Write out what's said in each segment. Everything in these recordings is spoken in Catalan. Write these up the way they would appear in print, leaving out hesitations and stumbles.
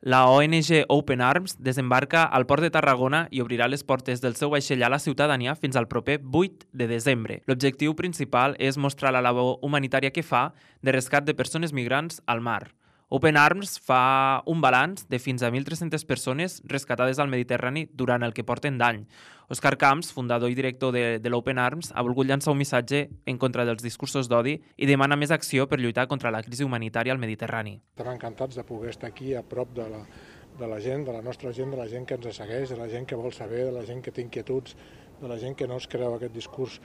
La ONG Open Arms desembarca al port de Tarragona i obrirà les portes del seu vaixell a la ciutadania fins al proper 8 de desembre. L'objectiu principal és mostrar la labor humanitària que fa de rescat de persones migrants al mar. Open Arms fa un balanç de fins a 1.300 persones rescatades al Mediterrani durant el que porten d'any. Òscar Camps, fundador i director de l'Open Arms, ha volgut llançar un missatge en contra dels discursos d'odi i demana més acció per lluitar contra la crisi humanitària al Mediterrani. Estem encantats de poder estar aquí a prop de la gent, de la nostra gent, de la gent que ens segueix, de la gent que vol saber, de la gent que té inquietuds, de la gent que no es creu aquest discurs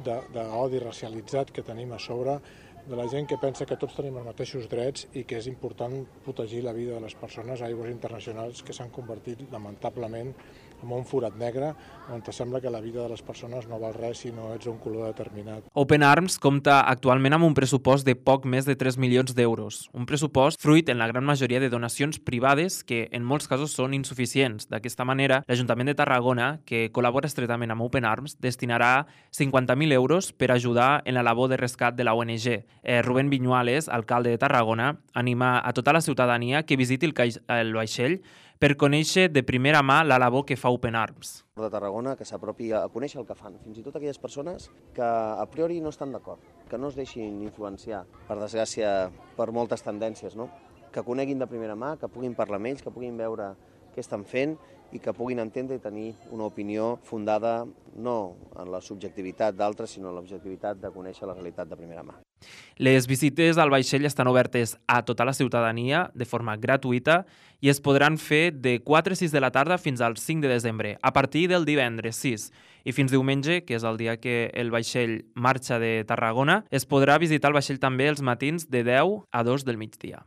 d'odi racialitzat que tenim a sobre, de la gent que pensa que tots tenim els mateixos drets i que és important protegir la vida de les persones a aigües internacionals que s'han convertit lamentablement en un forat negre on sembla que la vida de les persones no val res si no ets un color determinat. Open Arms compta actualment amb un pressupost de poc més de 3 milions d'euros. Un pressupost fruit en la gran majoria de donacions privades que en molts casos són insuficients. D'aquesta manera, l'Ajuntament de Tarragona, que col·labora estretament amb Open Arms, destinarà 50.000 euros per ajudar en la labor de rescat de la ONG. Rubén Viñuales, alcalde de Tarragona, anima a tota la ciutadania que visiti el vaixell per conèixer de primera mà la labor que fa Open Arms. De Tarragona, que s'apropi a conèixer el que fan, fins i tot aquelles persones que a priori no estan d'acord, que no es deixin influenciar, per desgràcia, per moltes tendències, no? Que coneguin de primera mà, que puguin parlar amb ells, que puguin veure què estan fent i que puguin entendre i tenir una opinió fundada no en la subjectivitat d'altres, sinó en l'objectivitat de conèixer la realitat de primera mà. Les visites al vaixell estan obertes a tota la ciutadania de forma gratuïta i es podran fer de 4 a 6 de la tarda fins al 5 de desembre, a partir del divendres 6. I fins diumenge, que és el dia que el vaixell marxa de Tarragona, es podrà visitar el vaixell també els matins de 10 a 2 del migdia.